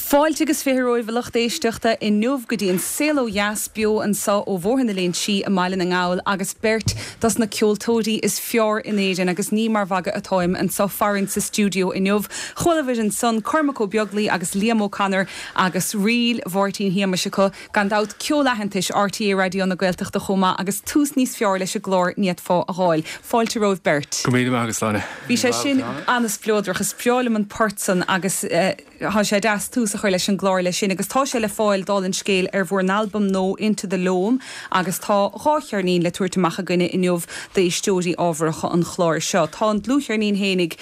Fáilte agus 20 romhaibh a lucht éisteachta inniu go dtí an Saol Ó Dheas beo anso ó Bhóthar na Léinsí i mBaile na nGall agus beirt dos na ceoltóirí is fearr in Éirinn agus ní mar mhagadh atáim anso farainn sa stiúideo inniu. Chualabhair ansan Cormac Ó Beaglaoi agus Liam O'Connor agus ríl Mháirtín Shéamais acu, gan dabht ceol aitheantais RTÉ Raidió na Gaeltachta chomh maith agus tús níos fearr leis an gclár ní fhéadfá a dh'fháil. Fáilte romhaibh beirt. Go míle maith agat, Sláine. Bhí sé sin an-spleodrach. Is breá liom an port san agus tá sé deas tús a chur leis an gclár leis sin agus tá sé le fáil, dála an scéil, ar bhur n-albam nua Into the Loam agus tá 2 cheirnín le tabhairt amach againne inniu d'éisteoirí ábharacha an chláir seo. Tá an dlúthcheirnín fhéinig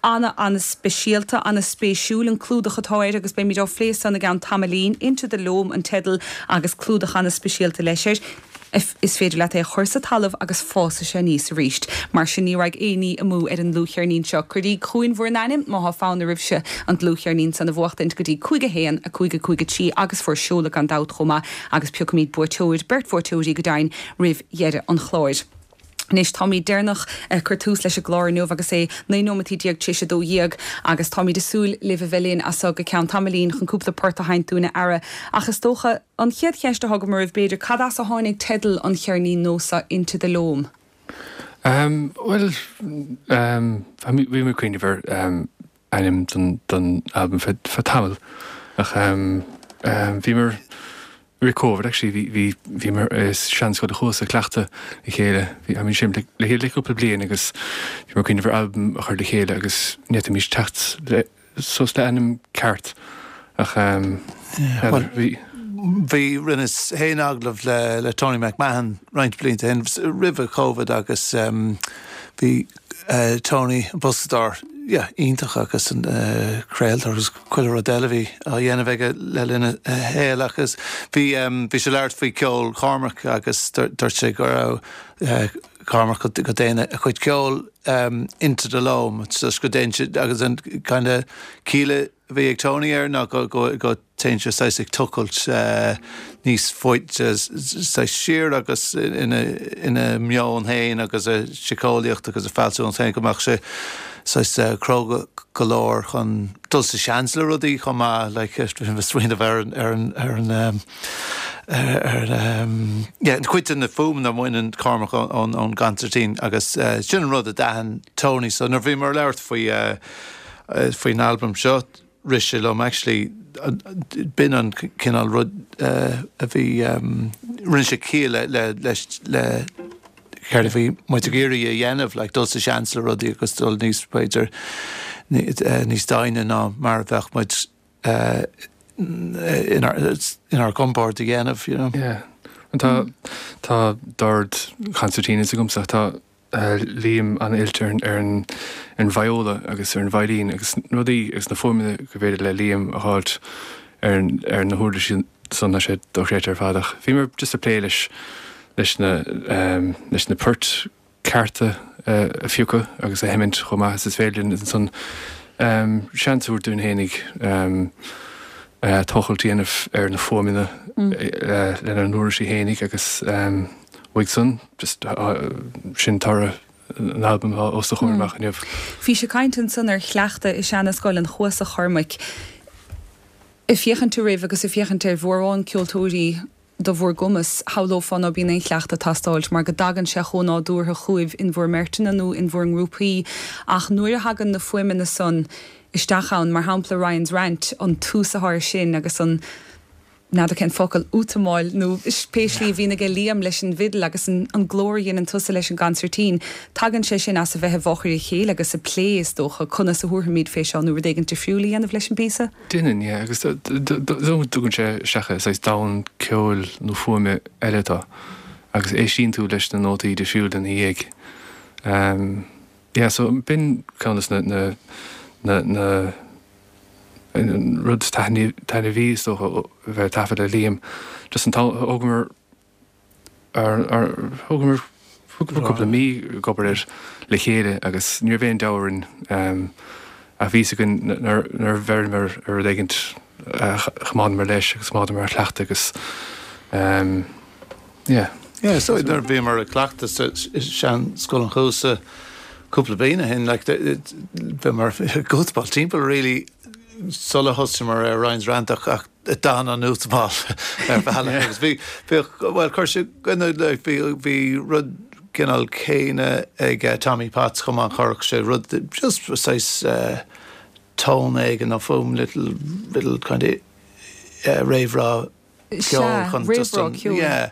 ana-ana-speisialta, ana-spéisiúil an clúdach atá air agus beimid á phlé san i gceann tamaillín. Into the Loam an teideal agus clúdach ana-speisialta leis air. Is féidir leat é a chur sa talamh agus fásfaidh sé aníos arís. Mar sin ní raghaidh aon ní amú ar an ndlúthcheirnín seo. Cuiríg chugainn bhur n-ainm má thá fonn oraibhse an dlúthcheirnín san a bhuachtaint go dtí 5 1 5 5 3 agus bhur seoladh gan dabht chomh maith agus piocfaimid buaiteoir, beirt bhuaiteoirí go deimhin, roimh dheireadh an chláir. Anois, táimid deireanach ag cur tús leis an gclár inniu agus é 19 nóimeataí tar éis 12 agus táimid ag súil libh a bheith linn as so go ceann tamaillín chun cúpla port a sheinnt dúinn a fheara. Ach is dócha, an chéad cheist atá agam oraibh b'fhéidir, cad as a tháinig teideal an cheirnín nua seo, Into the Loam? Bhuel, bhí mé ag cuimhneamh ar ainm don albam feadh tamaill ach bhíomar Rith Covid actually bhí bhí bhíomar i seanscoil a chuas ag cleachtadh le chéile. Bhí I mean seinm le le chéile le cúpla bliain agus bhíomar ag cuimhneamh ar albam a chur le chéile agus ní fhéadfaimis teacht le suas le ainm ceart ach ehm Yeah, bhuel bhí. Bhí rinneas féin agallamh le le Tony McMahon roinnt blianta ó shin roimhe Covid agus ehm bhí eh Tony an boscadóir yeah iontach agus an eh craoltóir agus chuile rud eile a bhí á dhéanamh aige le linn a shaoil agus bhí bhí sé ag labhairt faoi cheol Chormaic agus dúirt sé go raibh Cormac go dtéann a chuid ceoil into the loam just go dtéann sé agus an kind of ciall a bhí ag Tony air ná go go go téann sé saghas ag tochailt níos faide saghas siar agus ina ina meon féin agus a síceolaíocht agus a fealsúnacht féin go mbeadh sé saghas cróga go leor chun dul sa seans le rudaí chomh maith like smaoineamh ar an ar an ar an ar an yeah cuid de na fuaimeanna a bhaineann Cormac ón ón gconsairtín agus sin an rud a d'aithin Tony so nuair a bhíomar ag labhairt faoi faoin albam seo rith sé liom actually b'in an cineál rud a bhí rinne sé ciall le le leis le céard a bhí muid ag iarraidh a dhéanamh like dul sa seans le rudaí agus dul níos b'fhéidir níos doimhne ná mar a bheadh muid inár inár gcompord a dhéanamh you know. Yeah. Tá tá dord concertinas agamsa tá Liam an-oilte ar an viola agus ar an veidhlín agus rudaí agus na fuaimeanna gur féidir le Liam a dh'fháilt ar na huirlisí san tá sé dochreidte ar fad ach bhíomar just ag plé leis leis na leis na poirt cearta a phiocadh agus a sheimint chomh maith is is féidir linn ansan. Seans a thabhairt dúinn fhéinig tochailt a dhéanamh ar na fuaimeanna lenár n-uirlisí fhéinig agus uaidh san, just sin toradh an albaim atá os do chomhair amach inniu. Bhís ag caint ansan ar chleachtadh i seana-scoil an Chuasa, a Chormaic. Ag féachaint oraibh agus ag féachaint ar mhórán ceoltóirí de bhur gcumas, shamhlófá ná bíonn aon chleachtadh ag teastáilt mar go dtagann sé chomh nádúrtha chugaibh in bhur mbeirteanna nó in bhur ngrúpaí ach nuair a thagann na fuaimeanna san isteach ann, mar shampla Ryan's Rant, an tús atá air sin agus an, n'fheadar cén focal, útamáil nó pé slí a bhíonn aige Liam leis an bhfidil agus an glór a dhéanann tusa leis an gconsairtín, tagann sé sin as a bheith i bhfochair a chéile agus ag plé, is dócha, conas a thabharfaimid fé seo nó rud éigin difriúil a dhéanamh leis an bpíosa. Déanann, yeah, agus tugann sé isteach i saghas domhan ceoil nó fuaime eile tú agus éistíonn tú leis na nótaí difriúla ina dhiaidh. Yeah, so b'in ceann de na, na, na, an rud is taitneamhaí is dócha a bheith ag taifead le Liam, just an t-am, thógamar, Thógamar cúpla mí ag obair air le chéile agus ní raibh aon deabhadh orainn ach bhí fhios againn nuair a bheireamar ar rud éigint choimeádamar leis agus choimeádamar ar chleachtadh agus yeah. Yeah, so nuair a bhíomar ag cleachtadh sa sean-Scoil an Chuasa cúpla bliain ó shin, like, bhíomar ag útamáil timpeall really sula thosaíomar ar Ryan's Rant ach d'fhan an útamáil ar bhealach agus bhí, bhíodh, bhuel, chuir sé, bhí, bhí rud cineál céanna ag Tommy Potts chomh maith, chuirfeadh sé rud, just saghas tone éigin nó fuaim, little, little kind of réamhrá ceoil chun just an, yeah,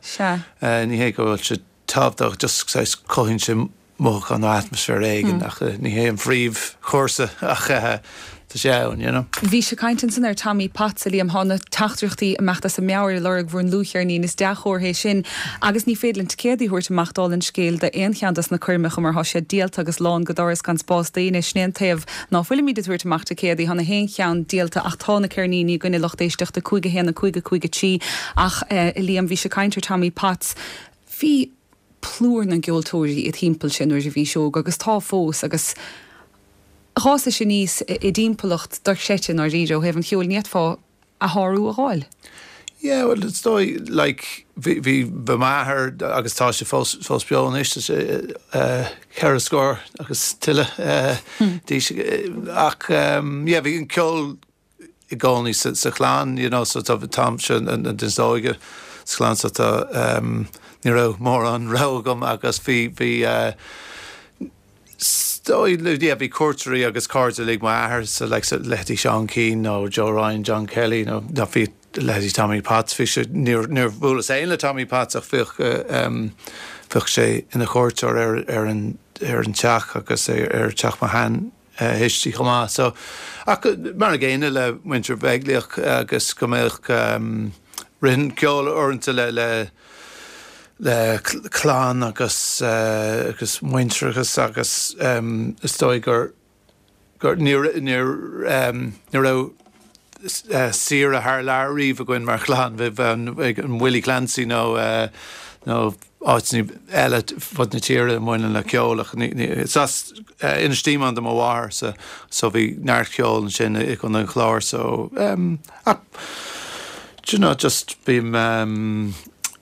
ní hé go bhfuil sé tábhachtach, just saghas cothaíonn sé mothúchán nó atmaisféar éigin ach ní hé an phríomhchúrsa ach tá sé ann, you know. Bhís ag caint ansan ar Tommy Potts, a Liam. Thá na teachtaireachtaí ag imeacht as a meabhair ag lorg bhur ndlúthcheirnín. Is dea-chomhartha é sin. Agus ní féidir linn ticéadaí a thabhairt amach dála an scéil d'aon cheann dos na coirmeacha mar thá siad díolta agus lán go doras gan spás d'éinne. Sin é an taobh ná fuilimíd ag tabhairt amach ticéadaí. Thá na haon cheann díolta ach tá na ceirníní againn a lucht éisteachta, 5 1 5 5 3. Ach, a Liam, bhís ag caint ar Tommy Potts. Bhí plúr na gceoltóirí id thimpeallse nuair a bhís óg agus tá fós agus dh'fhásais aníos i dtimpeallacht dochreidte i ndáiríre ó thaobh an cheoil, ní fhéadfá a shárú a dh'fháil. Yeah, well is dóigh like bhí bhí bhí m'athair agus tá sé fós fós beo anois tá sé ceithre scór agus tuilleadh d'aois ach yeah bhí an ceol i gcónaí sa chlann, you know, so tá, táimse an duine is óige sa chlann so tá, ní raibh mórán rogha agam agus bhí, bhí, is dóigh, yeah, bhí cuairteoirí agus cairde uilig m'athair so like so leithéidí Seán Keane nó Joe Ryan, John Kelly nó, nó bhí leithéidí Tommy Potts, bhí sé, níor, níor bhuaileas féin le Tommy Potts ach bhíodh, bhíodh sé ina chuairteoir ar, ar an, ar an teach agus ar, ar teach mo shean thuistí chomh maith. So, ach mar an gcéanna le muintir Bheaglaoich agus go mbeadh ritheann ceol uaireanta le le le clann agus agus muintearachas agus is dóigh gur gur ní ní ní raibh saoire thar lear riamh againn mar chlann, bheadh an Willie Clancy nó nó áiteanna eile fud na tíre a mbaineann le ceol ach is as Inis Díomáin do mo mháthair so so bhí neart ceoil ansin i gContae an Chláir so ach do you know just bím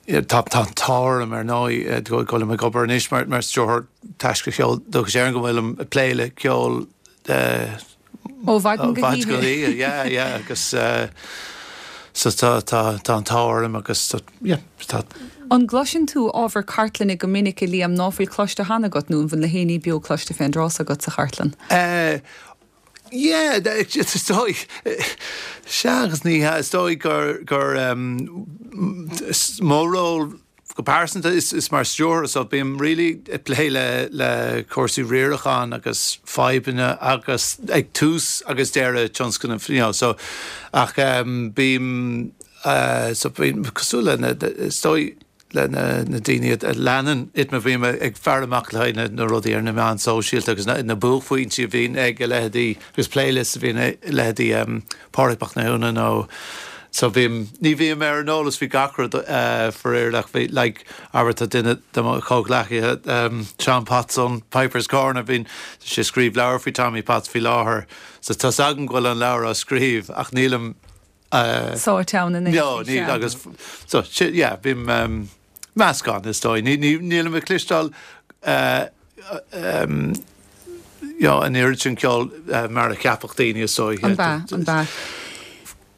tá tá an t-ádh orm ar ndóigh go bhfuilim ag obair anois mar mar stiúrthóir Taisce Cheol Dúchais Éireann go bhfuilim ag plé le ceol Ó mhaidin go hoíche. Yeah, yeah, agus so tá, tá, tá an t-ádh orm agus tá, yeah, tá. An gcloiseann tú ábhar cartlainne go minic, a Liam, ná fuil cloiste cheana agat nó an bhfuil na héinní beo cloiste fén dtráth so agat sa chartlann? Eh, yeah, is dóigh, sea agus ní hea, is dóigh gur, gur, mo ról Go pearsanta, is mar stiúrthóir so bím really ag plé le le cúrsaí riaracháin agus fadhbanna agus ag tús agus deireadh tionscnaimh you know so ach bím so bím cosúil le na is dóigh le na na daoine a leanann ITMA bím ag faire amach le haghaidh na na rudaí ar na meáin sóisialta agus na na buaicphointí a bhíonn ag a leithéidí agus playlists a bhíonn ag leithéidí Pádraig Mac Mathúna nó. So bím, ní bhím ar an eolas faoi gach rud faraor ach bhí like abair tá duine de mo chomhghleacaithe Seán Potts ón Pipers Corner, bíonn sé ag scríobh leabhar faoi Tommy Potts faoi láthair so tá's agam go bhfuil an leabhar á scríobh ach nílim sáite ann anois. No, níl agus so yeah bím meascán is dóigh. Nílim ag cloisteáil you know an oiread sin ceoil mar a cheapfadh daoine is dóigh. An b'ea, an b'ea.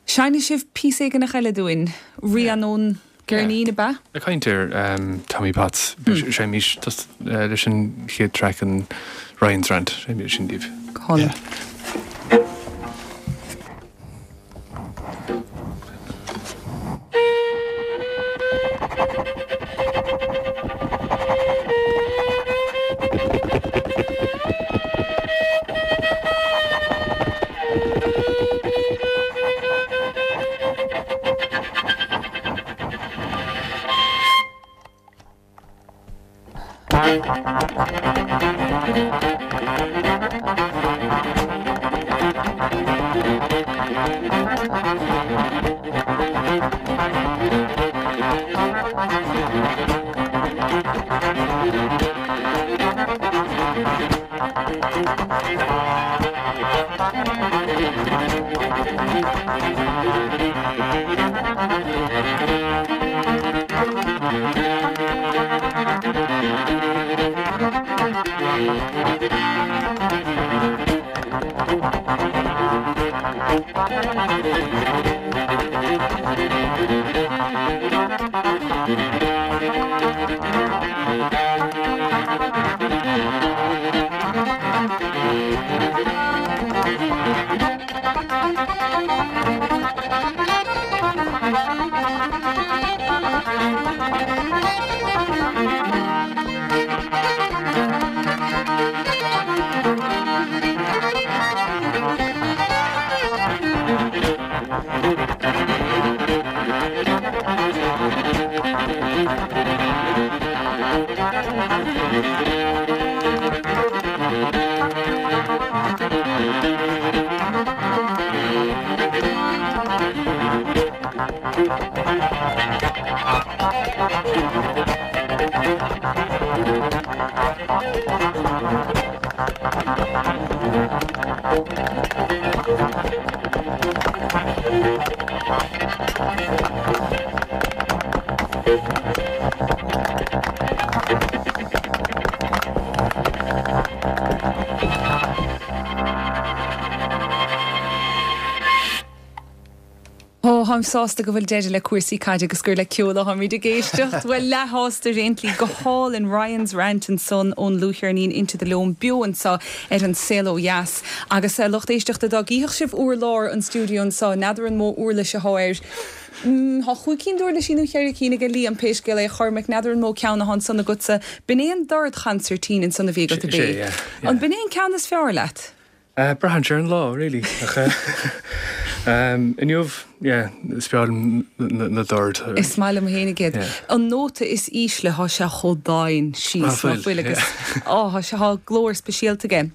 Seinnfidh sibh píosa éigineach eile dúinn, rian ón gceirnín, ab ea? Ag caint ar Tommy Potts, seinnimís leis an chéad traic an Ryan's Rant, seinnimís sin daoibh. Go hálainn. Ó, táim sásta go bhfuil deireadh le cúrsaí caide agus gur le ceol atáimid ag éisteacht. Bhuel, leathshásta ar aon tslí. Go hálainn, Ryan's Rant ansan ón ndlúthcheirnín Into the Loam beo anso ar An Saol Ó Dheas. Agus a lucht éisteachta, dá gcífeadh sibh urlár an stiúideo anso, n'fheadar an mó uirlis athá air. Tá chúig cinn d'uirlisí nó cheithre cinn aige Liam, pé scéal é, a Chormaic, n'fheadar an mó ceann athá ansan agatsa. B'in é an dordchansairtín ansan a bhí agat, ab é? An b'in é an ceann is fearr leat? Braitheann sé ar an lá, really. Ach inniu, yeah, is fearr liom na doird. Is maith liom féinig iad. An nóta is ísle, thá sé chomh domhain síos, ná fuil, agus á, thá sé, thá glór speisialta aige.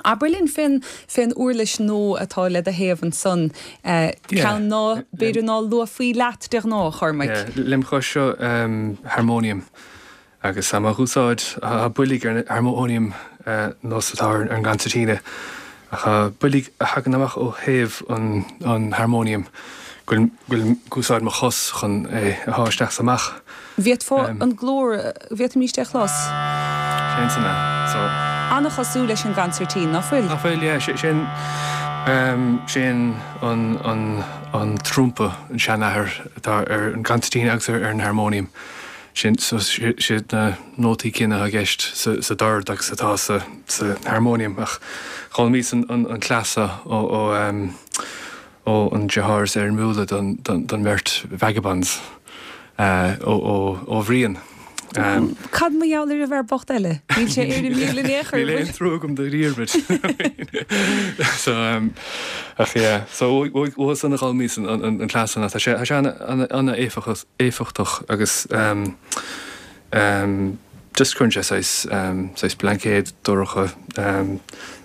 Abair linn fén, fén uirlis nua atá le do thaobh ansan, ceann ná, b'fhéidir ná luafaí leat de ghnáth, a Chormaic. Yeah, lem chois seo, harmonium. Agus tá mé á úsáid, tá boilg ar an harmóiniam nós atá ar an gconsairtíne, ach tá boilg a thagann amach ó thaobh an harmóiniam go bhfuil ag úsáid mo chos chun é a shá isteach is amach. Bhféadfá an glór, bhféadfaimíst é a chlos? Sé ansan é, so. An-chosúil leis an gconsairtín, ná fuil? Ná fuil, yeah. Sé an, sé an, an, an trumpa, an seanathair atá ar an gconsairtín agus ar an harmóiniam. Sin, so, siad na nótaí céanna atá i gceist sa dord agus atá sa harmóiniam ach d'fhoghlaimíos an cleas seo ó ó an deartháir is éirimiúla den mbeirt Vagabonds, ó Bhrian. Cad mar gheall ar an bhfear bocht eile? Níl sé éirimiúil in aon chor. Níl aon trua agam do Dhiarmuid. So, ach yeah, so uathu san a d'fhoghlaimíos an cleas san ach tá sé an-éifeachtach. éifeachtach agus just cuireann sé saghas, saghas blaincéad dorcha,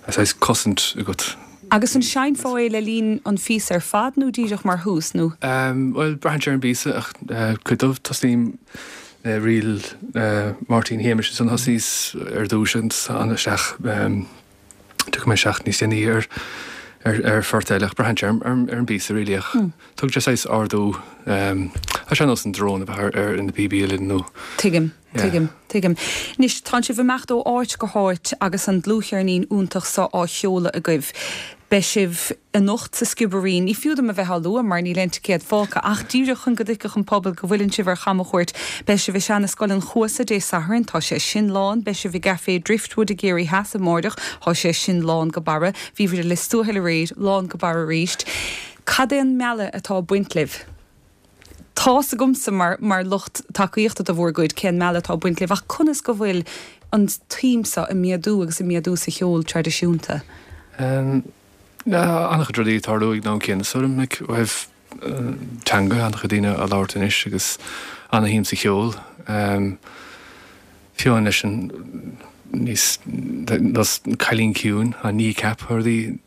saghas cosaint agat. Agus an seinnfeá é le linn an phíosa ar fad nó díreach mar thús nó? Bhuel, braitheann sé ar an bpíosa ach cuid dóibh tosaím le ríl Mháirtín Shéamais ansan thosaíos ar dtús ansan isteach tiocfaidh mé isteach níos déanaí ar ar phort eile ach braitheann sé ar ar an bpíosa really ach tugann sé saghas ardú tá sé ar nós an drone a bheith ar ar na píobaí uilleann nó Tuigim. Tuigim, tuigim. Anois, tánn sibh ag imeacht ó áit go háit agus an dlúthcheirnín iontach so á sheoladh agaibh. Beidh sibh anocht sa Sciobairín. Ní fiú dom a bheith á lua mar níl aon ticéad fágtha, ach díreach chun go dtuigfeadh an pobal go bhfuileann sibh ar chamchuairt. Beidh sibh i Seana-Scoil an Chuasa Dé Sathairn, tá sé sin lán. Beidh sibh i gCafé Driftwood i gCiarraí Theas amáireach, tá sé sin lán go barra. Bhíobhair i Lios Tuathail aréir, lán go barra arís. Cad é an mealladh atá ag baint libh? Tá's agamsa mar mar lucht tacaíochta do bhur gcuid cén mealladh atá ag baint libh ach conas go bhfuil an tsuim seo ag méadú agus ag méadú sa cheol traidisiúnta? An-chuid rudaí ag tarlú ag an am céanna is dóigh liom, like, ó thaobh teanga, an-chuid daoine á labhairt anois agus an-shuim sa cheol. Fiú amháin leis an níos nós Cailín Ciúin, an Kneecap, rudaí,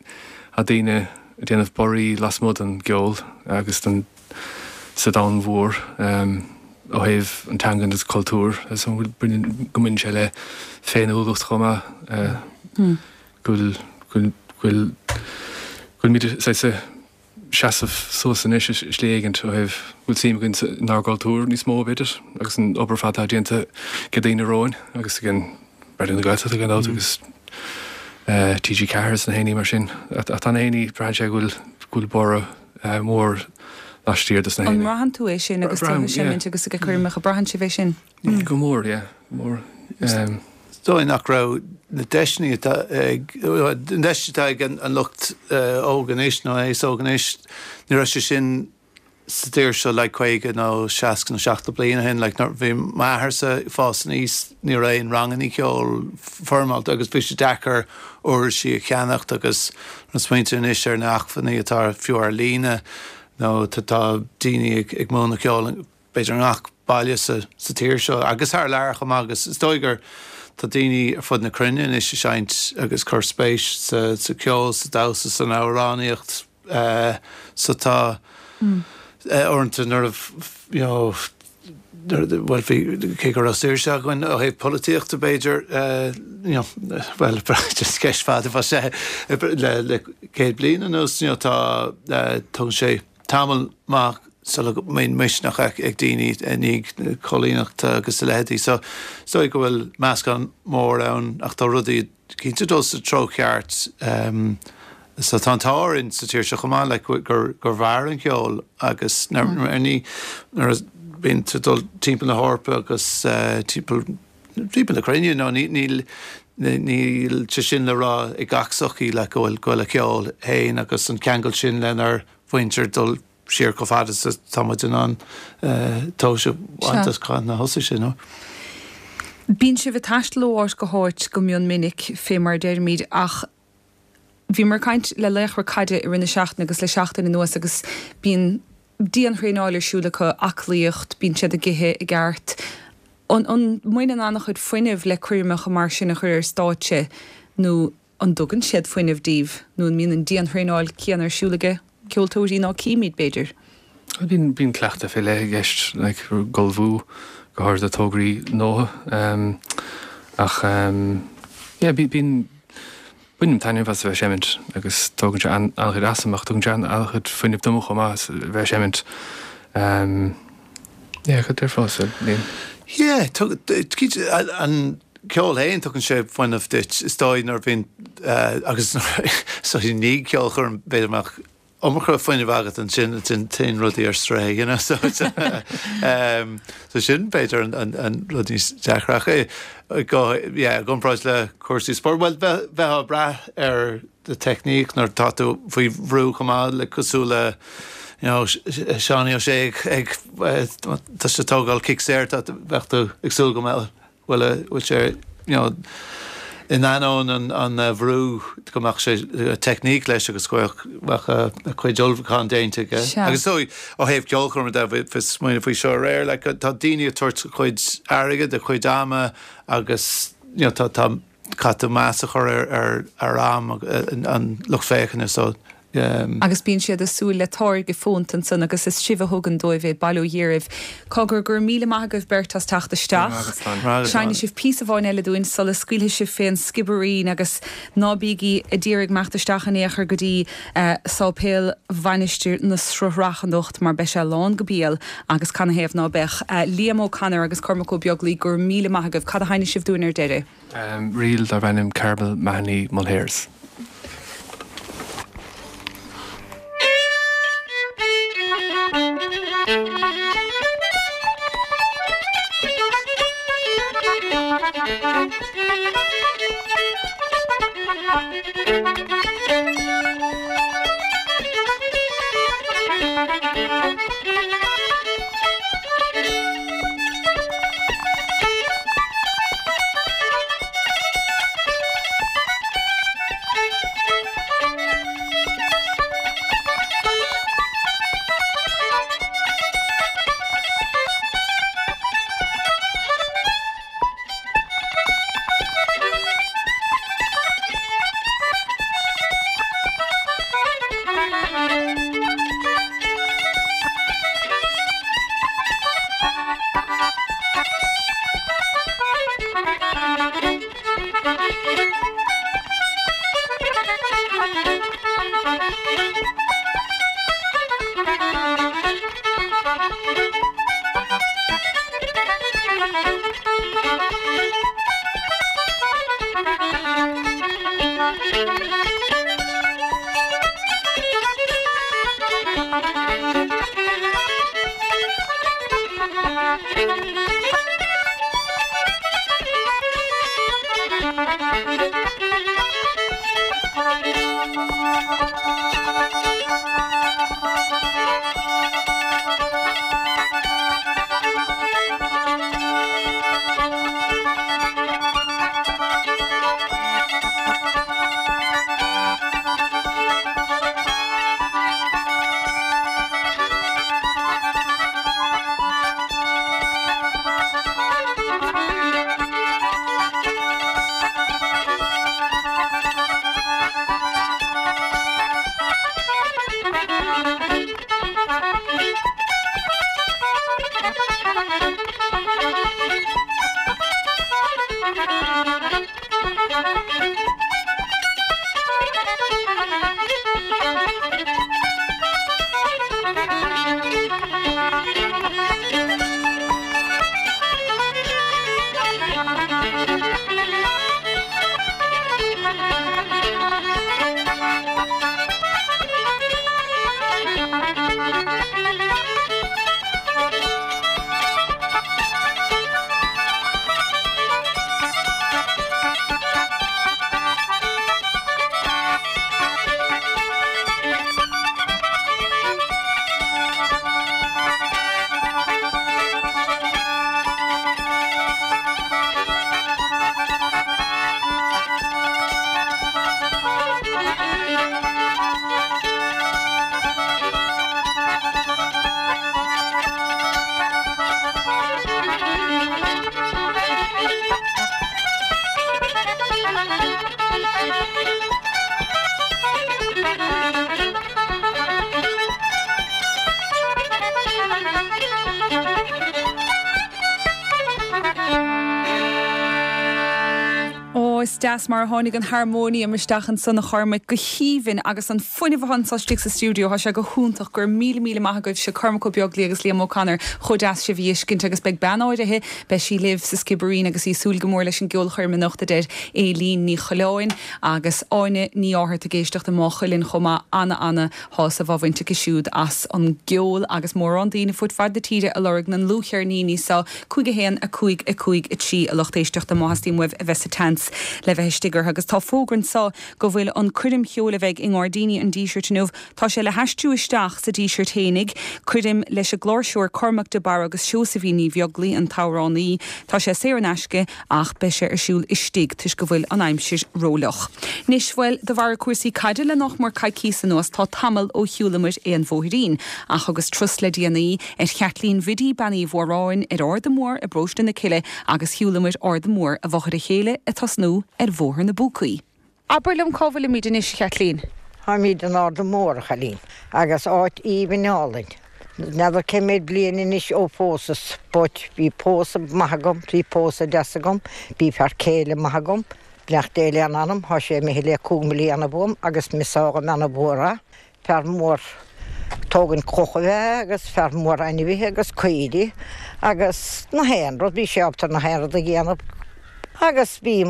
tá daoine ag déanamh borraí lasmuigh den gceol agus den sa domhan mhór ó thaobh an teanga agus cultúr is go mbaineann sé le féiniúlacht chomh maith go bhfuil go bhfuil go bhfuilimid saghas ag seasamh suas anois i slí éigint ó thaobh go bhfuil suim againn inár gcultúr níos mó b'fhéidir agus an obair ar fad atá déanta ag daoine romhainn agus ag an Raidió na Gaeltachta gan dabht agus TG4 is na héinní mar sin. Ach tá na héinní, braitheann sé go bhfuil go bhfuil borradh mór laistiar dos na An héinní. mbraitheann tú é sin agus tú ag seimint agus ag coirmeacha, braitheann sibh é sin? Go mór, yeah, go mór. Is dóigh nach raibh na deiseanna atá ag, na deis atá ag an lucht óg anois nó an aos óg anois, ní raibh sé sin sa tír seo like 50 nó 60 nó 70 bliain ó shin. Like nuair bhí m'athairse ag fás aníos ní raibh aon ranganna ceoil foirmeálta agus bhí sé deacair uirlisí a cheannacht agus na smaointe anois ar na acmhainní atá fiú ar líne nó tá daoine ag ag múineadh ceoil b'fhéidir i ngach baile sa sa tír seo agus thar lear chomh maith agus is dóigh gur tá daoine ar fud na cruinne anois ag seinnt agus cur spéis sa sa ceol, sa damhsa, san amhránaíocht. So tá uaireanta nuair a you know bhuel bhí cé go raibh saoirse againn ó thaobh polaitíochta b'fhéidir you know bhuel just ceist fada fá sé le le 100 bliain anuas you know tá tógann sé tamall maith sula mbíonn misneach ag daoine i ndiaidh na coilíneachta agus a leithéidí. So is dóigh go bhfuil meascán mór ann ach tá rudaí cinnte dul sa treo ceart. So tá an t-ádh orainn sa tír seo chomh maith like gur gur mhair an ceol agus nuair ní nuair a bíonn tú dul timpeall na hEorpa agus timpeall timpeall na cruinne nó ní níl níl sé sin le rá ag gach sochaí like go bhfuil go bhfuil a ceol féin agus an ceangal sin lenár mhuintir dul siar chomh fada is atá muid in ann tomhas a bhaint as cathain a thosaigh sé, nó. Bíonn sibh ag taisteal ó áit go háit go mion minic, fé mar a deirimid, ach bhíomar ag caint le laochra caide i rith na seachtaine agus le seachtain anuas agus bíonn dianthraenáil ar siúl acu, aclaíocht, bíonn siad ag ithe i gceart. An mbaineann an-chuid fuinnimh le coirmeacha mar sin a chur ar stáitse nó An dtugann siad fuinneamh daoibh nó an mbíonn an dianthraenáil céanna ar siúl ag ceoltóirí ná címid, b'fhéidir? Bíonn, bíonn cleachtadh fé leith i gceist, like, ag ullmhú, go háirid do tograí nua. Ach yeah, bíonn, bainim taitneamh as a bheith ag seimint agus tógann sé an-chuid asam ach tugann sé an-chuid fuinnimh dom chomh maith a bheith ag seimint. Yeah, cad déarfása, Liam? Yeah, cinnte, an ceol féin, tugann sé fuinneamh duit, is dóigh, nuair a bhíonn, agus so i ndiaidh ceolchoirm, b'fhéidir go mbeadh iomarca fuinnimh agat ansin, ansin téann rudaí ar strae, you know, so so sin b'fhéidir an an rud níos deacra ach go, yeah, i gcomparáid le cúrsaí spóirt, bhuel, bheith bheith ag brath ar do teicníc nuair atá tú faoi bhrú chomh maith le cosúil le you know Seánie Ó Sé ag ag tá sé ag tógáil cic saor, tá bheadh tú ag súil go mbeadh bhfuil a bhfuil sé you know in ainneoin an an bhrú go mbeadh sé teicníc leis agus go mbeadh a chuid ullmhúchán déanta aige. Sea. Agus so ó thaobh ceolchoirme de bhí bhí smaoineamh faoi seo aréir like tá daoine ag tabhairt a chuid airgid, a chuid ama agus you know tá tá. Caithfidh tú meas a chur ar ar am an lucht féachana so. Agus bíonn siad ag súil le táirge fónta ansan agus is sibh a thugann dóibh é, bail ó Dhia oraibh. Cogar, go raibh míle maith agaibh beirt as teacht isteach. Seinnfidh sibh píosa amháin eile dúinn sula scaoilfidh sibh fén Sciobairín agus ná bígí a d'iarraidh imeacht isteach in aon chor go dtí Sáipéal Mhainistir na Sruthrach anocht mar beidh sé lán go béal agus canathaobh ná beadh. Liam O'Connor agus Cormac Ó Beaglaoi, go raibh míle maith agaibh. Cad a sheinnfidh sibh dúinn ar deireadh? Ríl darb ainm Carmel Mahony Mulhare's. Ó, is deas mar a tháinig an harmóiniam isteach ansan a Chormaic, go haoibhinn agus an fuinneamh atá anso istigh sa stiúideo, tá sé go hiontach, go raibh míle míle maith agaibhse, Cormac Ó Beaglaoi agus Liam O'Connor, chomh deas sibh a fheiscint agus beidh bean áirithe, beidh sí libh sa Sciobairín agus í ag súil go mór leis an gceolchoirm anocht a deir Éilín Ní Choileáin agus Áine Ní Fhátharta ag éisteacht i Maigh Cuilinn chomh maith, ana ana shásamh á bhaint aici siúd as an gceol agus mórán daoine fud fad na tíre ag lorg na ndlúthcheirníní seo, 5 1 5 5 3 a lucht éisteachta má theastaíonn uaibh a bheith sa tseans le bheith istigh orthu agus tá fógra anso go bhfuil an coirm cheoil a bheidh i nGairdíní an Dísirt inniu, tá sé le haistriú isteach sa Díseart fhéinig, coirm leis an gcláirseoir Cormac de Barra agus Seosaimhín Ní Bheaglaoi, an t-amhránaí. Tá sé saor in aisce ach beidh sé ar siúl istigh toisc go bhfuil an aimsir rófhliuch. Anois, bhuel, de bharr cúrsaí caide le nach mór coicíos anuas tá tamall ó shiúlamar aon bhóithrín. Ach thugas turas le déanaí ar Chaitlín Bhiddy Bean Uí Mhóráin ar Arda Mór i bparóiste na Cille agus shiúlamar Arda Mór i bhfochair a chéile ag tosnú. nó ar Bhóthar na bPúcaí. Abair liom cá bhfuilimid anois, a Chaitlín? Táimid in Arda Mór, a chailín, agus áit aoibhinn álainn. N'fheadar cé méid bliain anois ó phósas, but bhí pósadh maith agam, bhí pósadh deas agam, bhí fear céile maith agam, beannacht Dé lena anam, thá sé imithe le cúig mbliana uaim agus mise dhá mbeanna mhór a. Fear mór tógaint cloch ab ea é agus fear mór ainmhithe agus caoirigh agus na haon rud, bhí sé ábalta na haon rud a dhéanamh agus bhí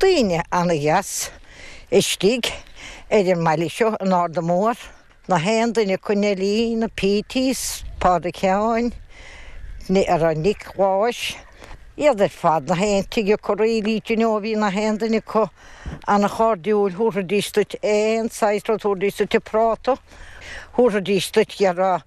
daoine ana-dheas istigh ar an mbaile seo in Arda Mór, na haon duine acu, Neilí, na Peaties, Pádraig Sheáin, Nic Gháis, iad ar fad, na haon tigh acu really, do you know, bhí na haon duine acu. An-chairdiúil, thabharfaidís duit aon saghas rud, thabharfaidís duit an práta, thabharfaidís duit dhera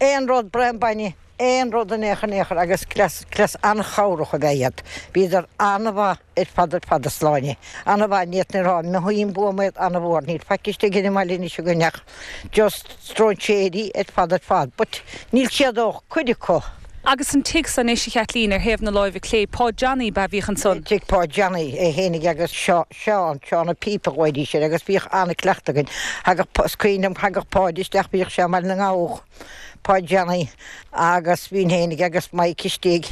aon rud, braon bainne, aon rud in aon chor in aon chor agus cleas, cleas an-chabhrach ab ea iad. Bhíodar an-mhaith ar fad ar fad a Shláine. An-mhaith, ní fhéadfainn a rá, mothaím uaim iad an-mhór, níl faic istigh ar an mbaile anois againn ach just stróinséirí ar fad ar fad, but níl siad ó cuid acu. Agus an tigh san anois, a Chaitlín, ar thaobh na láimhe clé, Páid Johnny ab ea a bhíodh ansan? Tigh Pháid Johnny, é fhéinig agus Seán, Seán a' Phíopa a ghlaoidís air agus bhíodh an-cleachtadh againn. Thagadh, is cuimhin liom, thagadh Páid isteach, bhíodh sé i mBaile na nGall, Páid Johnny, agus bhínn fhéinig agus Mike istigh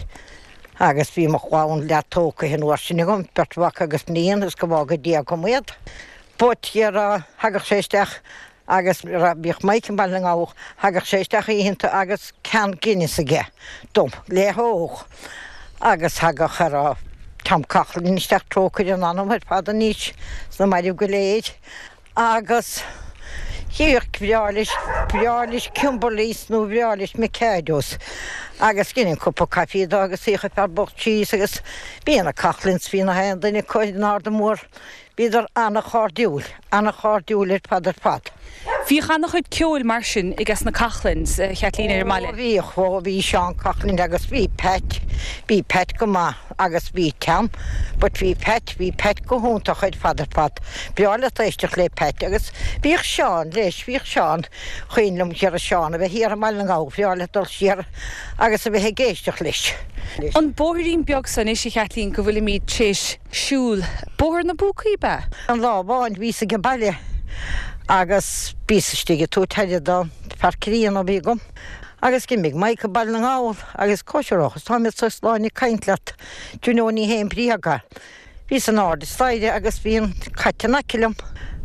agus bhí mo chlann leath tógtha an uair sin agam, beirt mhac agus iníon, is go bhfága Dia agam iad. But, dhera, thagadh sé isteach Agus bhíodh Mike i mBaile na nGall, thagadh sé isteach oícheanta agus can Guinness aige dom le hól. Agus thagadh a raibh Tom Coughlan isteach, trócaire ina anam ar fad anois, sna mairbh go léir. Agus bhíodh, bhreá leis, bhreá leis Kimberleys nó bhreá leis Mikados. Agus dheininn cupa caife dó agus shuíodh an fear bocht síos agus bhí na Coughlans, bhí na haon duine acu in Arda Mór. Bhíodar an-chairdiúil, an-chairdiúil ar fad ar fad. Bhíodh an-chuid ceoil mar sin ages na Coughlans, a Chaitlín, ar an mbaile. Ó bhíodh, ó bhí Seán Coughlin agus bhí Pat, bhí Pat go maith agus bhí Tom, but bhí Pat, bhí Pat go hiontach ar fad ar fad. Breá leat éisteacht le Pat agus bhíodh Seán leis, bhíodh Seán, cuimhin liom dhera Seán a bheith thiar i mBaile na nGall, bhreá leat dul siar agus a bheith ag éisteacht leis. An bóithrín beag so anois, a Chaitlín, go bhfuilimid tar éis siúl. Bóthar na bPúcaí ab ea? An lá amháin bhíos ag an baile agus bhíos istigh ag tabhairt aire don fear críonna a bhí agam agus d'imigh Mike go Baile na nGall agus cóisireochas tá mé sa Sláine ag caint leat do you know ní haon bréag é. Bhíos in airde staighre agus bhí an cat in aice liom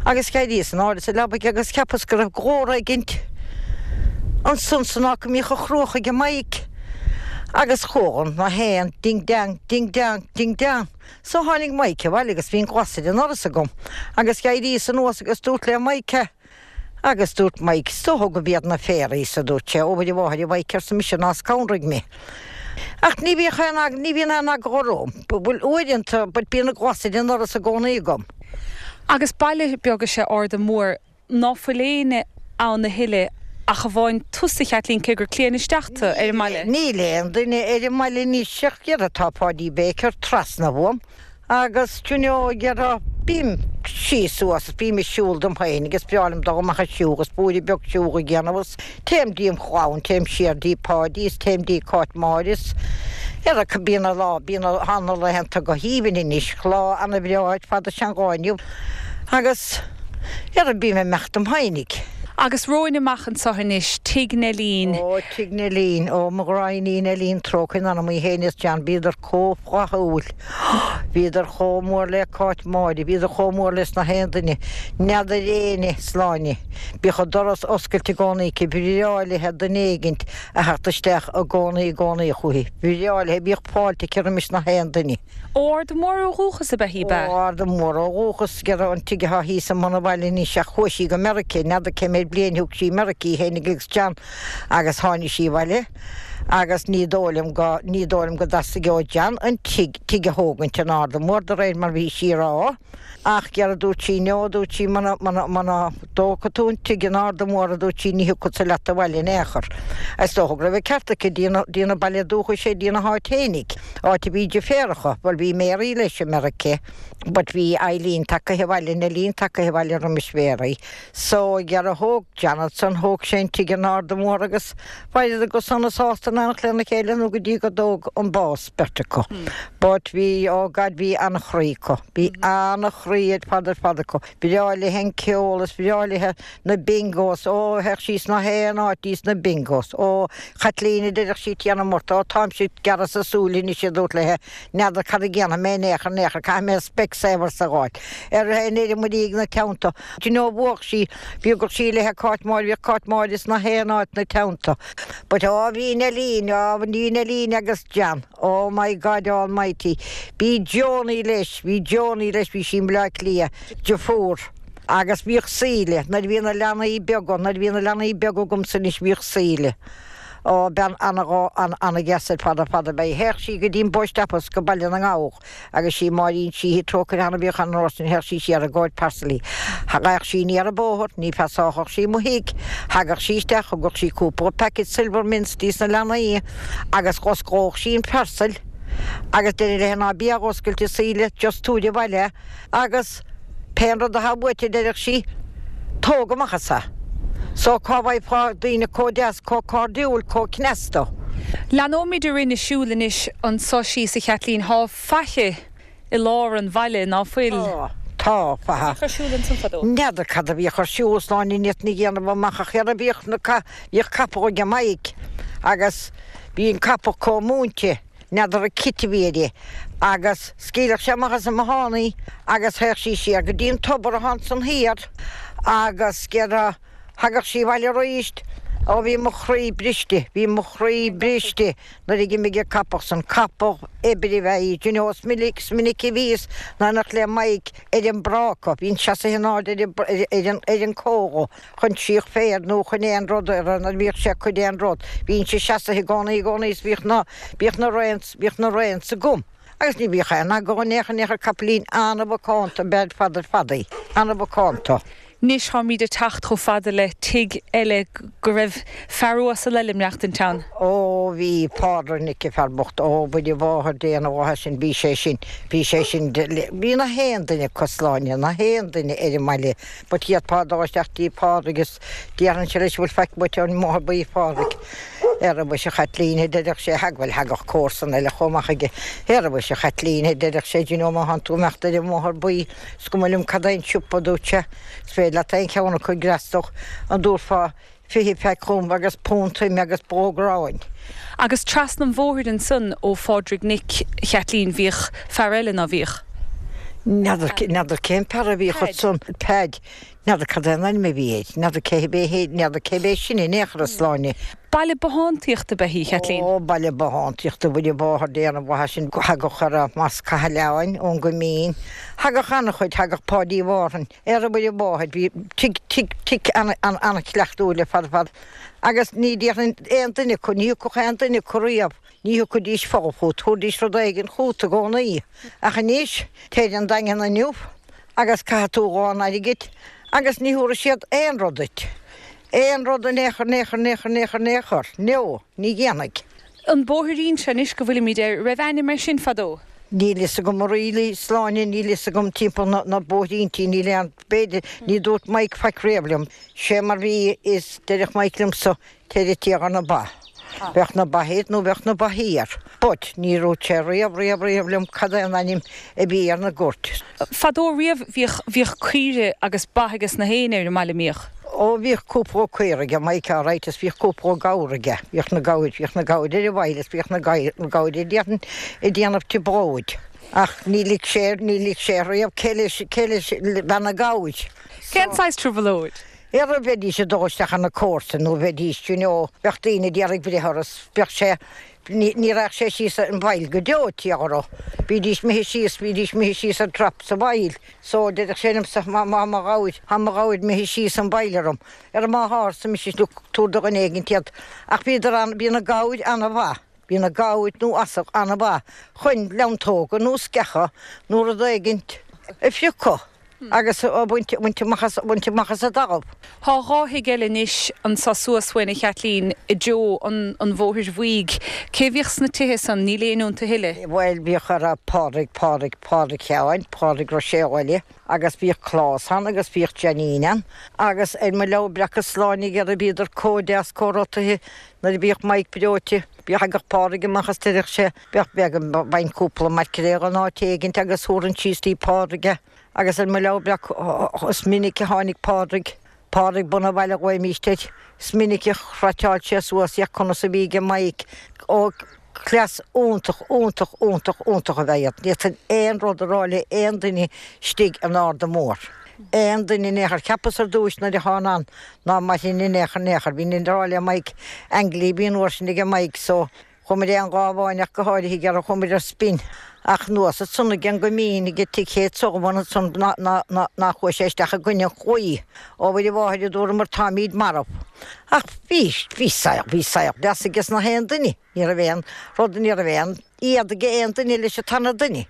agus d'éiríos in airde sa leabaidh agus cheapas go raibh glór éigint ansan san áit go mbíodh a chruach aige Mike agus chuala na haon ding dang ding dang Ding dang. So tháinig Mike abhaile agus bhí an glas ar an ndoras agam agus d'éiríos anuas agus dúrt le Mike é. Agus dúirt Mike, Is dócha go b'iad na fairies, a dúirt sé. Ó mhuire mháthair a Mhike, arsa mise, ná scanraigh mé. Ach ní bhíodh aon, ní bhíonn aon eagla orm. Bhuel, uaireanta, but bíonn an glas ar an ndoras i gcónaí agam. Agus baile beag is ea Arda Mór. Ná fuil éinne ann a thuilleadh ach amháin tusa, a Chaitlín, cé gur claon isteach tu ar an mbaile. Níl aon duine ar an mbaile anois ach dhera tá Páidí Baker trasna uaim agus do you know dhera bím síos suas is bím ag siúl dom féin agus breá liom dul amach ag siúl agus blúire beag siúl a dhéanamh agus téim dtí an chlann, téim siar dtí Páidí is téim dtí Cáit Máire is dhera bíonn an lá, bíonn na laethanta go haoibhinn anois, lá ana-bhreá ar fad is ea an lá inniu agus. Dhera bím ag imeacht dom fhéinig. Agus romhainn amach anso anois, Tigh Neilín. Ó, Tigh Neilín, ó, mo ghráinnín Neilín, trócaire ina anam í fhéin is John, bhíodar chomh flaithiúil, bhíodar chomh mór le Cáit Máire, bhíodar chomh mór leis na haon duine, n'fheadar éinne, Sláine. Bíodh an doras oscailte i gcónaí aici, bhreá léithe duine éigint a theacht isteach i gcónaí i gcónaí chúithi, bhreá léithe, bhíodh fáilte aici roimis na haon duine. Ó Arda Mór ó dhúchas ab ea í, ab ea? Ó Arda Mór ó dhúchas, dhera an tigh atá thíos i mbun an bhaile anois ach chuaigh sí go Meirice, n'fheadar cé méid bliain thug sí i Meirice í fhéinig agus John agus tháinig sí abhaile agus ní dóigh liom go, ní dóigh liom go dteastaigh ó John an tigh, tigh a thógaint in Arda Mór de réir mar bhí sí a rá. Ach dhera dúirt sí no, dúirt sí, muna, muna, muna dtógfaidh tú an tigh in Arda Mór, a dúirt sí, ní thiocfadsa leat abhaile in aon chor. Is dócha go raibh an ceart aici, dtína, dtína baile dúchais é, dtína háit fhéinig, áit a bhí deirféaracha, bhuel bhí Mary leis i Meirice, but bhí Eileen tagaithe abhaile, Neilín tagaithe abhaile roimis Mhary. So, dhera thóg Jonathan, thóg sé an tigh in Arda Mór agus mhaireadar go sona sásta ina. in éineacht lena chéile nó go dtí go dtóg an bás beirt acu. But bhí, oh God, bhí an-chroí acu. Bhí an-chroí ar fad ar fad acu. Bhreá léithe an ceol is bhreá léithe na bingos, ó, théadh sí sna haon áit dtí sna bingos. Ó, Chaitlín, a deireadh sí, Tiarna Murt, ó, táimse ag gearradh sa súil anois a dúirt léithe, n'fheadar cad a dhéanfaidh mé in aon chor, in aon chor, caithfidh mé Specsavers a dh'fháil. Ar an ar an muirígh ina teannta. Do you know, bhuadh sí, bhíodh sí léithe Cáit Máire, bhíodh Cáit Máire sna haon áit 'na teannta. But ó bhí Neilín, ó bhí Neilín agus John, oh my God almighty. Bhí Joanie leis, bhí Joanie leis, bhí sí i mBleá Cliath, deirfiúr. Agus bhíodh Síle, nuair a bhí na leanaí beaga, nuair a bhí na leanaí beaga agamsa anois bhíodh Síle. Ó, bean ana-dheas ar fad ar fad ab ea í. Théadh sí go dtí an post office go Baile na nGabhach agus sí Máirín Sheehy trócaire ann a bhíodh an uair sin, théadh sí siar i gcomhair parcelaí. Thagadh sí aniar an bóthar, ní phassáchadh sí mo thigh. Thagadh sí isteach, thugadh sí cúpla packet silver mints dís na leanaí agus dh'osclódh sí an parcel agus deireadh léi ná bí á dh'oscailt a Shíle, just tabhair abhaile é agus Pén rud athá uait a deireadh sí, tóg amach as é. So cá bhfaighfeá daoine comh deas, comh cairdiúil, comh cneasta? Leanóimid orainn ag siúl anois anso síos a Chaitlín. Thá faiche i lár an bhaile, ná fuil? Tá, tá faiche. Cad a bhíodh ar siúl ansan fadó? N'fheadar cad a bhíodh ar siúl, a Shláine, ní fhéadfainn a dhéanamh amach ach ar bhíodh na, bhíodh capall aige Maidhc agus bhí an capall comh múinte. N'fheadar an cit a bhí uirthi agus scaoileadh sé amach as an mbothán í agus théadh sí siar go dtí an tobar athá ansan thiar agus déarfá, thagadh sí abhaile aríst, Ó bhí mo chroí briste, bhí mo chroí briste nuair a dh'imigh an capall san, capall oibre ab ea í, d'you know, is minic, is minic a bhíos in éineacht le Maidhc ar an bpráca, bhínn seasaithe in airde ar an, ar an, ar an comhla. chun síoch féir nó chun aon rud ar nuair a bhíodh sé ag cur aon rud. Bhínnse seasaithe i gcónaí i gcónaí is bhíodh na, bhíodh na reins, bhíodh na reins agam. Agus ní bhíodh aon agó in aon chor in aon chor capaillín an-mhacánta ab ea ar fad ar fad í. An-mhacánta. Anois táimíd ag teacht chomh fada le tigh eile go raibh fear uasal eile ag maireachtaint ann. Ó bhí Pádraig Nic an fear bocht, ó Mhuire Mháthair Dé ana mhaith sin, bhí sé sin, bhí sé sin, bhí na haon duine acu Sláine, na haon duine ar an mbaile. But d'fhéadfá dul isteach dtí Pádraig is déarfainnse leis bhfuil faic uait ón mBóthar Buí a Phádraig. Ara mhuise a Chaitlín a deireadh sé, thag bhuel thagadh comharsan eile chomh maith chuige. Ara mhuise a Chaitlín a deireadh sé, do you know má thánn tú imeacht ar an mBóthar Buí is cuma liom cad é an siopa a dúirt sé, is féidir leat aon cheann acu a fhreastal, an dtabharfá 20 faic dhom agus punt ime agus bró gráin. Agus trasna an bhóthair ansan ó Phádraig Nic Chaitlín bhíodh fear eile, ná bhíodh? N'fheadar, n'fheadar cén fear a bhíodh ansan. Peaid. N'fheadar cad é an ainm a bhí air. N'fheadar cé hé, n'fheadar cé b'é sin in aon chor a Sláine. Baile bothántaíochta ab ea í, Chaitlín? Ó, baile bothántaíochta, Mhuire Mháthair Dé ana mhaith sin. Thagadh ar a Mas Cathail ón gCoimín. Thagadh an-chuid, thagadh Páidí Mhárthain. Ar a Mhuire Mháthair, bhí tigh, tigh, tigh an-chleachtúil ar fad ar fad agus ní déarfainn aon duine acu, ní thiocfadh aon duine acu riamh, ní thiocfaidís folamh chugat, thabharfaidís rud éigin chugat i gcónaí. Ach anois, téir an Daingean inniu agus caithfidh tú a lán airgid agus ní thabharfaidh siad aon rud duit. Aon rud in aon chor, in aon chor, in aon chor, in aon chor, in aon chor. No, ní dhéanfaidh. An bóithrín seo anois go bhfuilimid air, raibh ainm air sin fadó? Níl fhios agam a really, Sláine, níl fhios agam timpeall na, na bóithríntí, níl aon, b'fhéidir, ní dúirt Mike faic riamh liom. Sé mar bhí is deireadh Mike liomsa, téir ag tíocht ar na ba. Bheadh na ba thoir nó bheadh na ba thiar. But, ní dúirt sé riamh, riamh, riamh liom cad é an ainm a bhí ar na goirt. Fadó riamh bhíodh, bhíodh caoire agus ba ages na héinne ar an mbaile, mbíodh? Ó bhíodh cúpla caora aige Mike alright is bhíodh cúpla gabhar aige, bhíodh na gabhair, bhíodh na gabhair ar an bhfaill is bhíodh na gabhair ag déanamh, ag déanamh trioblóid. Ach ní lig sé, ní lig sé riamh cé leis, cé leis bhean na gabhair. Cén saghas trioblóid? Ara bheidís ag dul isteach ar na comharsain nó bheidís, you know, bheadh daoine ag iarraidh breith orthu is bheadh sé, ní, ní raghadh sé síos an bhfaill go deo, tíogar. Bhídís imithe síos, bhídís imithe síos ar drop sa bhfaill. So, deireadh sé liomsa, má, má, mo ghabhair, tá mo ghabhair imithe síos an bhfaill orm. Ara má thá, arsa mise, look, tabhair do dhuine éigint iad. Ach bhíodar an, bhí na gabhair ana-mhaith. Bhí na gabhair nó asail ana-mhaith chun leantóga nó sceacha nó rud éigint a phriocadh agus a bhaint, bhaint amach as, bhaint amach as an dtalamh. Thá dhá thigh eile anois anso suas uainn, a Chaitlín, i dtreo an, an Bhóthair Bhuígh. Cé bhíodh sna tithe san? Níl éinne iontu a thuilleadh. Bhuel, bhíodh ara Pádraig, Pádraig, Pádraig Sheáin, Pádraig Roiséal eile agus bhíodh Clás ann agus bhíodh Janine ann agus ar mo leabhar breac a Sláine dhera bhíodar comh deas comh rotaithe nuair a bhíodh Mike breoite. Thagadh Pádraig amach is deireadh sé, bheadh beag an bhaint cúpla maicréal in áit éigint agus thabharfainn síos dtí Pádraig é. Agus ar mo leabhar breac is minic a tháinig Pádraig, Pádraig Bun an Bhaile a ghlaoimíst air, is minic a chraiteáil sé suas é conas a bhí aige Maidhc. Ó, cleas iontach, iontach, iontach, iontach ab ea iad. Ní fhéadfainn aon rud a rá le aon duine istigh in Arda Mór. Aon duine in aon chor. Cheapas ar dtúis nuair a thána ann ná mairfinn in aon chor in aon chor. Bhínn ag rá le Maidhc, Anglia a bhí an uair sin aige Maidhc so chuamair aon Ghábháin ach go háirithe ag iarraidh chuamair ar spin. Ach anuas ansan ag an gCoimín ag tigh Chéit Sullivan ansan ná chuaigh sé isteach i gcoinne an chlaí. Ó Mhuire Mháthair a dúramar táimíd marbh. Ach bhí, bhí saol, bhí saol deas aige na haon duine. Ní raibh aon rud, ní raibh aon éad ag aon duine leis an tarna duine.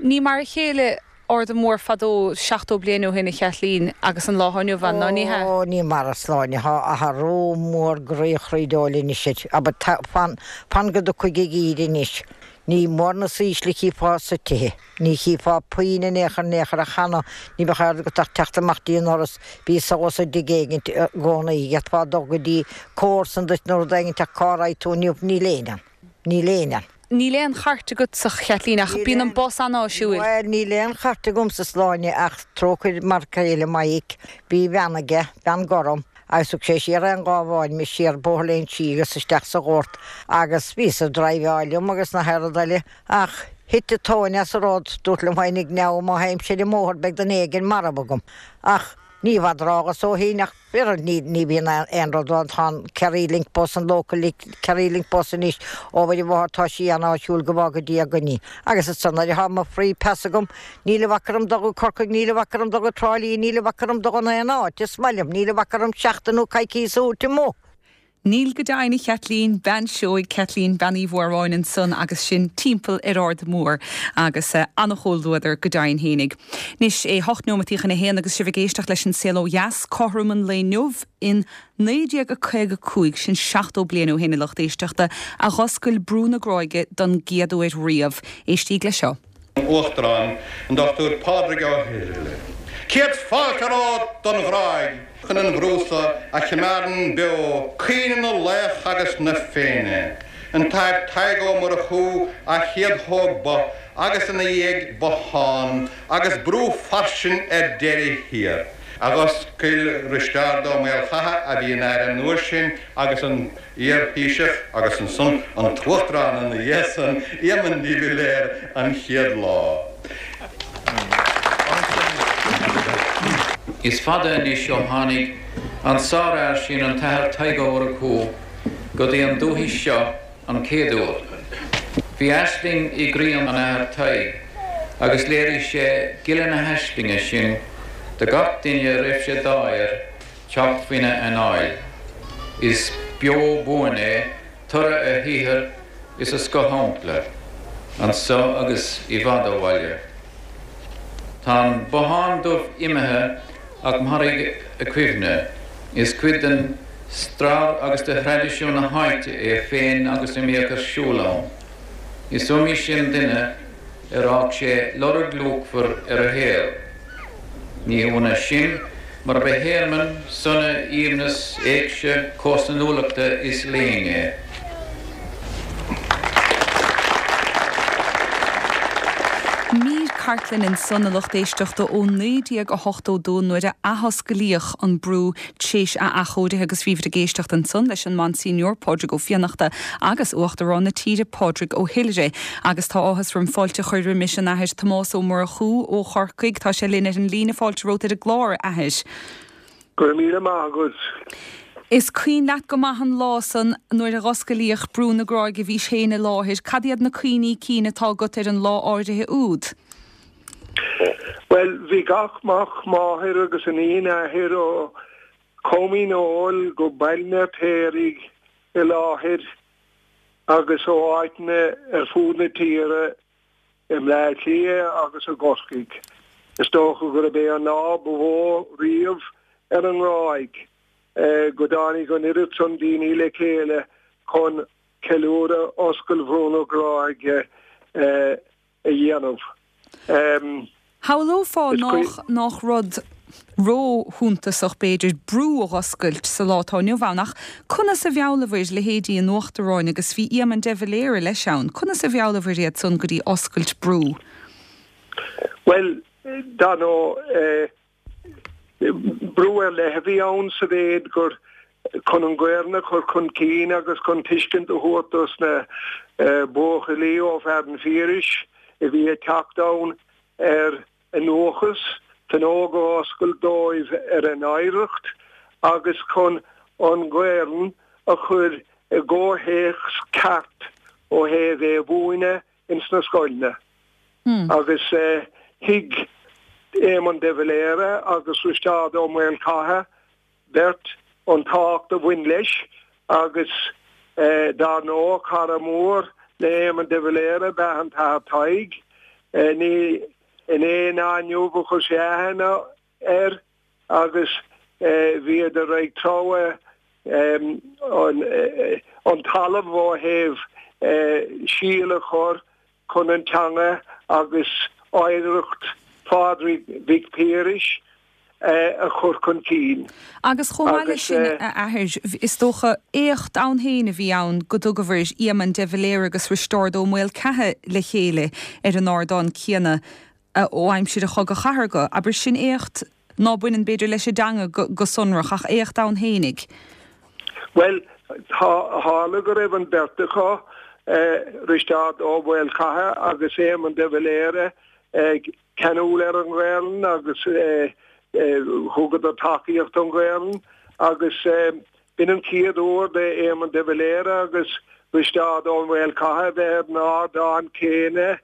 Ní mar a chéile Arda Mór fadó, 70 bliain ó shin, a Chaitlín, agus an lá atá inniu ann, ná ní hea? Ó, ní mar a Sláine, thá athrú mór groí chroídeoil anois air. Abair, fan, fan go dtiocfaidh an geimhreadh anois. Ní mór na saoisle a chífeá sa tithe. Ní chífeá puinn in aon chor in aon chor ach cheana, ní bheadh aird agat ach teacht amach dtí an ndoras, bhí solas i dtigh éigint i gcónaí, d'fhéadfá dul go dtí comharsan duit nó rud éigint ach cá raghaidh tú inniu, níl éinne ann. Níl éinne ann. Níl aon chairt agatsa, a Chaitlín, ach bíonn an bus an-áisiúil. Bhuel, níl aon chairt agamsa, a Sláine, ach trócaire m'fhear céile Maidhc, bhí veain aige, veain gorm, agus thug sé siar an Gábháin mé siar Bóthar Léinsí agus isteach sa Ghort agus bhíos ag driveáil liom agus na haon rud eile ach thit an tóin as an rud, dúrt liom féinig now má théimse ar an mbóthar beidh duine éigin marbh agam. Ach ní i bhfad rághas ó shin ach oiread ní ní bhíonn aon rud ann, tá an Kerry Link bus, an local Kerry Link bus anois ó Mhuire Mháthair tá sí an-áisiúil go bhfága Dia againn í. Agus ansan nuair atá mo free pass agam níl a bhac orm dul go Corcaigh, níl a bhac orm dul go Trá Lí, níl a bhac orm dul in aon áit, is maith liom, níl a bhac orm seachtain nó coicíos a thabhairt amuigh. Níl go deimhin, a Chaitlín, Bean Seoighe, Caitlín Bean Uí Mhóráin ansan agus sinn timpeall ar Ard Mór agus an-chomhluadar go deimhin fhéinig. Anois é hocht neomataí chun a haon agus sibh ag éisteacht leis an Saol Ó Dheas, cothrom an lae inniu in 1955, sin 70 bliain ó shin, a lucht éisteachta, a dh'oscail Brú na Gráige don gcéad uair riamh. Éistíg le seo. Uachtarán, an Dr Pádraig Ó hIrghile. Céad fáilte romhat don Ghráig chun an bhrú so a chimeádann beo cuimhne na laoch agus na Féinne. An tAthair Tadhg Ó Murchú a chéad thóg both agus ina dhiaidh bothán agus brú fairsing ar deireadh thiar. A dh'oscail Risteárd Ó Maolchatha a bhí ina Aire an uair sin agus an Iar-Thaoiseach agus ansan an tUachtarán ina dhiaidh san, Éamon de Valera, an chéad lá. Is fada anois ó tháinig an sárfhear sin an tAthair Tadhg Ó Murchú go dtí an dúthaigh seo an chéad uair. Bhí aisling i gcroí an Athar Tadhg agus léirigh sé gile na haislinge sin do gach duine a raibh sé d'ádh air teacht faoina anáil. Is beo buan é toradh a shaothair is a scothshampla, anso agus i bhfad ó bhaile. Tá an bothán dubh imithe ach mairfidh a chuimhne. Is cuid den stair agus de thraidisiún na háite é féin agus a mbíodh ar siúl ann. Is iomaí sin duine ar fhág sé lorg luachmhar ar a shaol. Ní hionadh sin mar ba thearmann sona, aoibhneas, éigse, comharsanúlachta is léinn é. Mír cartlainne ansan, a lucht éisteachta, ó 1982 nuair a athosclaíodh an brú t'éis a athchóirithe agus bhíobhair ag éisteacht ansan leis an Monsignor Pádraig Ó Fiannachta agus Uachtarán na tíre Pádraig Ó hIlrí. Agus tá áthas orm fáilte a chur roimis an Athair Tomás Ó Murchú ó Chorcaigh. Tá sé linn ar an líne. Fáilte romhat ar an gclár, a Athair. Go raibh míle maith agat. Is cuimhin leat go maith an lá san nuair a dh'osclaíodh Brú na Gráige, bhís féin i láthair. Cad iad na cuimhní cinn atá agat ar an lá áirithe úd? Bhuel, bhí gach mac máthar agus iníon athair ó Com Dhíneol go Baile an Fheirtéaraigh i láthair agus ó áiteanna ar fud na tíre i mBleá Cliath agus i gCorcaigh. Is dócha gurb é an lá ba mhó riamh ar an nGráig go dtáinig an oiread san daoine le chéile chun ceiliúradh oscailt Bhrú na Gráige a dhéanamh. Shamhlófá nách, nách rud. Ró-shuntasach, b'fhéidir, brú a dh'oscailt sa lá atá inniu ann, ach conas a mheallabhair leithéidí an Uachtaráin, agus bhí Éamon de Valera leis ann, conas a mheallabhair iad san go dtí oscailt brú? Bhuel, dar ndóigh, brú ar leith a bhí ann sa mhéid gur chun an Ghaelainn a chur chun cinn agus chun tuiscint a thabhairt dos na buachaillí ó Fearann Phiarais a bhí ag teacht ann ar a ndúchas, fuinneog a oscailt dóibh ar a n-oidhreacht agus chun an Ghaelainn a chur i gcomhthéacs ceart ó thaobh é a mhúineadh ins na scoileanna. Agus thuig Éamon de Valera agus Risteárd Ó Maolchatha beirt an tábhacht a bhain leis agus dar ndóigh cara mór le Éamon de Valera ab ea an tAthair Tadhg. Ní inné ná inniu a chuir sé aithne air agus bhíodar ag treabhadh an talamh ó thaobh síol a chur chun an teanga agus oidhreacht Phádraig Mhic Piarais a chur chun cinn. Agus chomh maith leis sin, a Athair, is dócha, éacht ann féin a bhí ann go dtugabhair Éamon de Valera agus Risteárd Ó Maolchatha le chéile ar an ardán céanna ó aimsir an Chogaidh Chathartha. Abair, sin éacht ná baineann, b'fhéidir, leis an dteanga go sonrach, ach éacht ann fhéinig. Bhuel, tharla go raibh an bheirt acu, Risteárd Ó Maolchatha agus Éamon de Valera, ceanúil ar an Ghaelainn agus thugadar tacaíocht don Ghaelainn agus b'in an chéad uair d'Éamon de Valera agus Risteárd Ó Maolchatha a bheith ar an ardán céanna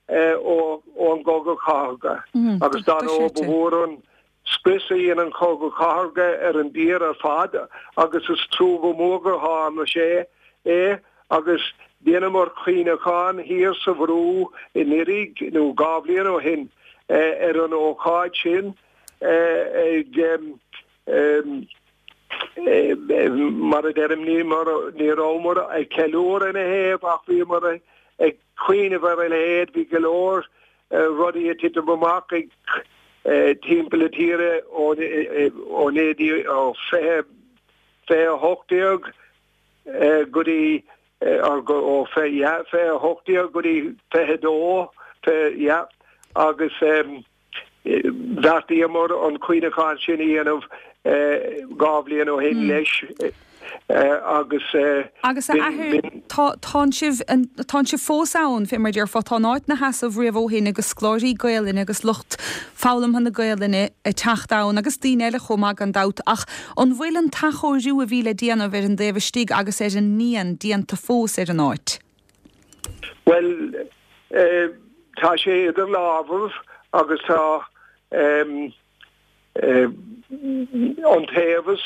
ón gCogadh Cathartha agus dar ndóigh ba mhór an scrios a dhein an Cogadh Cathartha ar an dtír ar fad agus is trua go mór gur tharla sé é agus dheineamar cuimhneachán thiar sa bhrú anuraidh nó 2 bhliain ó shin ar an ócáid sin ag mar a deirim ní rabhamar ag ceiliúradh ina thaobh ach bhíomar ag cuimhneamh ar a leithéid bhí go leor rudaí ag titim amach ag timpeall na tíre ó 1920 2018 go dtí ó 2018 go dtí 22 yeah agus bheartaíomar an cuimhneachán sin a dhéanamh 2 bhliain ó shin leis agus Agus a athair, tá, tánn sibh, tánn sibh fós ann, fé mar a déarfá, tá an áit 'na sheasamh riamh ó shin agus scoláirí Gaelainne agus lucht foghlamtha na Gaelainne ag teacht ann agus daoine eile chomh maith gan dabht, ach an bhfuil an t-athchóiriú a bhí le déanamh ar an dtaobh istigh agus ar an ndíon déanta fós ar an áit? Bhuel, tá sé idir lámhaibh agus tá iontaobhas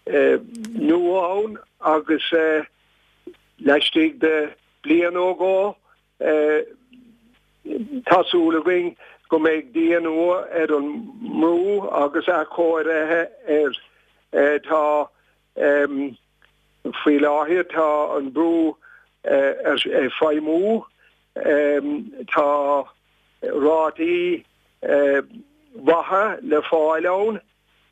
nua ann agus laistigh de bliain nó dhó tá súil againn go mbeidh díon nua ar an mbrú agus athchóirithe air. Tá faoi láthair tá an brú ag feidhmiú, tá rátaí mhaithe le fáil ann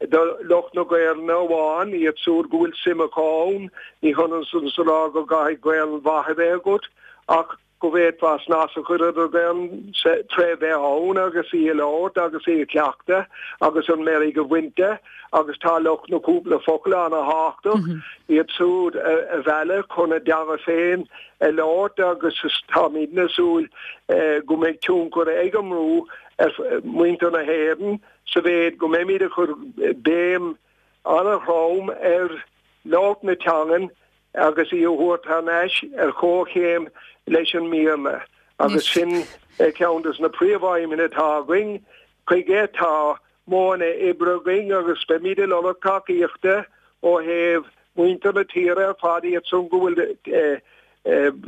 do lucht na Gaelainne amháin, iad siúd go bhfuil suim acu ann. Ní hionann san is a rá go gcaithfidh Gaelainn mhaith a bheith agat ach go bhféadfá snas a chur ar do Ghaelainn tré bheith ann agus í a labhairt agus í a chleachtadh agus an meirg a bhaint de agus tá lucht na cúpla focal ana-thábhachtach, iad siúd a mhealladh chun a dteanga féin a labhairt agus táimidne ag súil go mbeidh tionchar ag an mbrú ar mhuintir na hÉireann sa mhéid go mbeimid ag cur béim an-throm ar labhairt na teangan agus í a thabhairt thar n-ais ar chomhchéim leis an mBéarla agus sin ceann de na príomhaidhmeanna atá againn. Chuige tá modhanna oibre againn agus beimid ag lorg tacaíochta ó thaobh muintir na tíre ar fad, iad san go bhfuil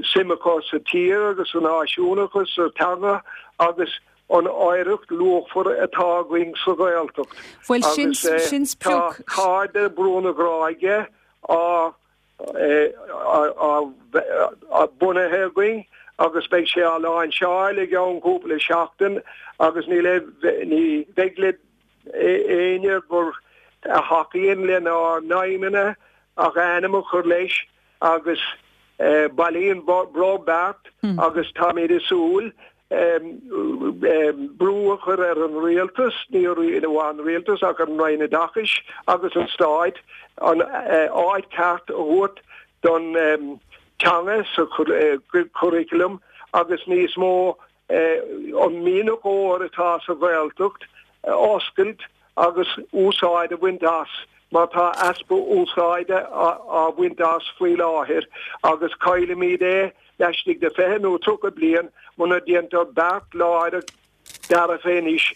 suim acu sa tír agus sa náisiúnachas, sa teanga agus an oidhreacht luachmhar atá againn sa Ghaeltacht. Bhuel, sin, sin Agus tá sprioc. Cairde Bhrú na Gráige á á bunaithe againn agus beidh sé á láinseáil i gceann cúpla seachtain agus ní ní bheidh le. Éinne gur a thacaíonn lenár n-aidhmeanna ach a ainm a chur leis agus bailíonn brobh beart agus táimid ag súil brú a chur ar an rialtas, ní amháin an rialtas ach ar an Roinn Oideachais agus an Stáit an áit ceart a thabhairt don teanga sa churriculum agus níos mó an mianach óir atá sa Ghaeltacht a oscailt agus úsáid a bhaint as mar tá easpa úsáide á bhaint as faoi láthair agus caillfimid é laistigh de 20 nó 30 bliain muna ndéantar beart láidir dearfa anois.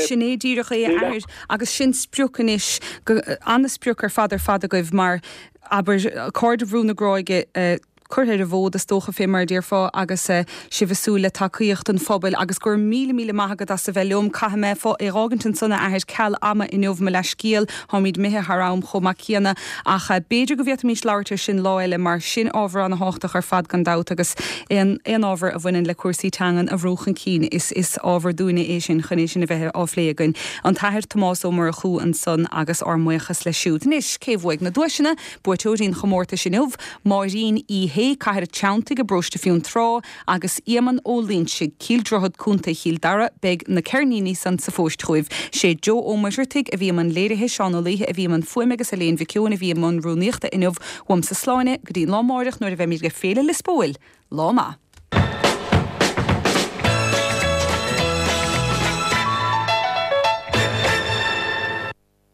Sin é díreach é, a Athair, agus sin sprioc anois, ana-sprioc ar fad ar fad agaibh mar, abair, Cairde Bhrú na Gráige, curtha ar an bhfód, is dócha, fé mar a déarfá, agus sibh ag súil le tacaíocht an phobail. Agus go raibh míle, míle maith agat as a bheith liom. Caithfidh mé é dh'fhágaint ansan, a Athair, ceal ama inniu, mo leathscéal, táimid imithe thar am chomh maith céanna. Ach b'fhéidir go bhféadfaimís labhairt air sin lá eile, mar sin ábhar ana-thábhachtach ar fad gan dabht, agus aon, aon ábhar a bhaineann le cúrsaí teangan a bhrú chun cinn, is, is ábhar dúinne é sin chun é sin a bheith á phlé againn. An tAthair Tomás Ó Murchú ansan agus ár mbuíochas leis siúd. Anois, cé bhuaigh na duaiseanna? Buaiteoirí an chomórtais inniu, Máirín Uí Shé, Cathair an Treanntaigh i bparóiste Fionntrá, agus Éamonn Ó Loinsigh, Cill Droichead, Co. Chill Dara. Beidh na ceirníní san sa phost chugaibh. Sé Joe Ó Muircheartaigh a bhí i mbun léirithe, Seán Ó Laoithe a bhí i mbun fuaime agus Elaine Mhic Eoin a bhí i mbun rúnaíochta inniu. Uaimse Sláine go dtí an lá amáireach nuair a bheimid ag Féile Liospóil. Lá maith.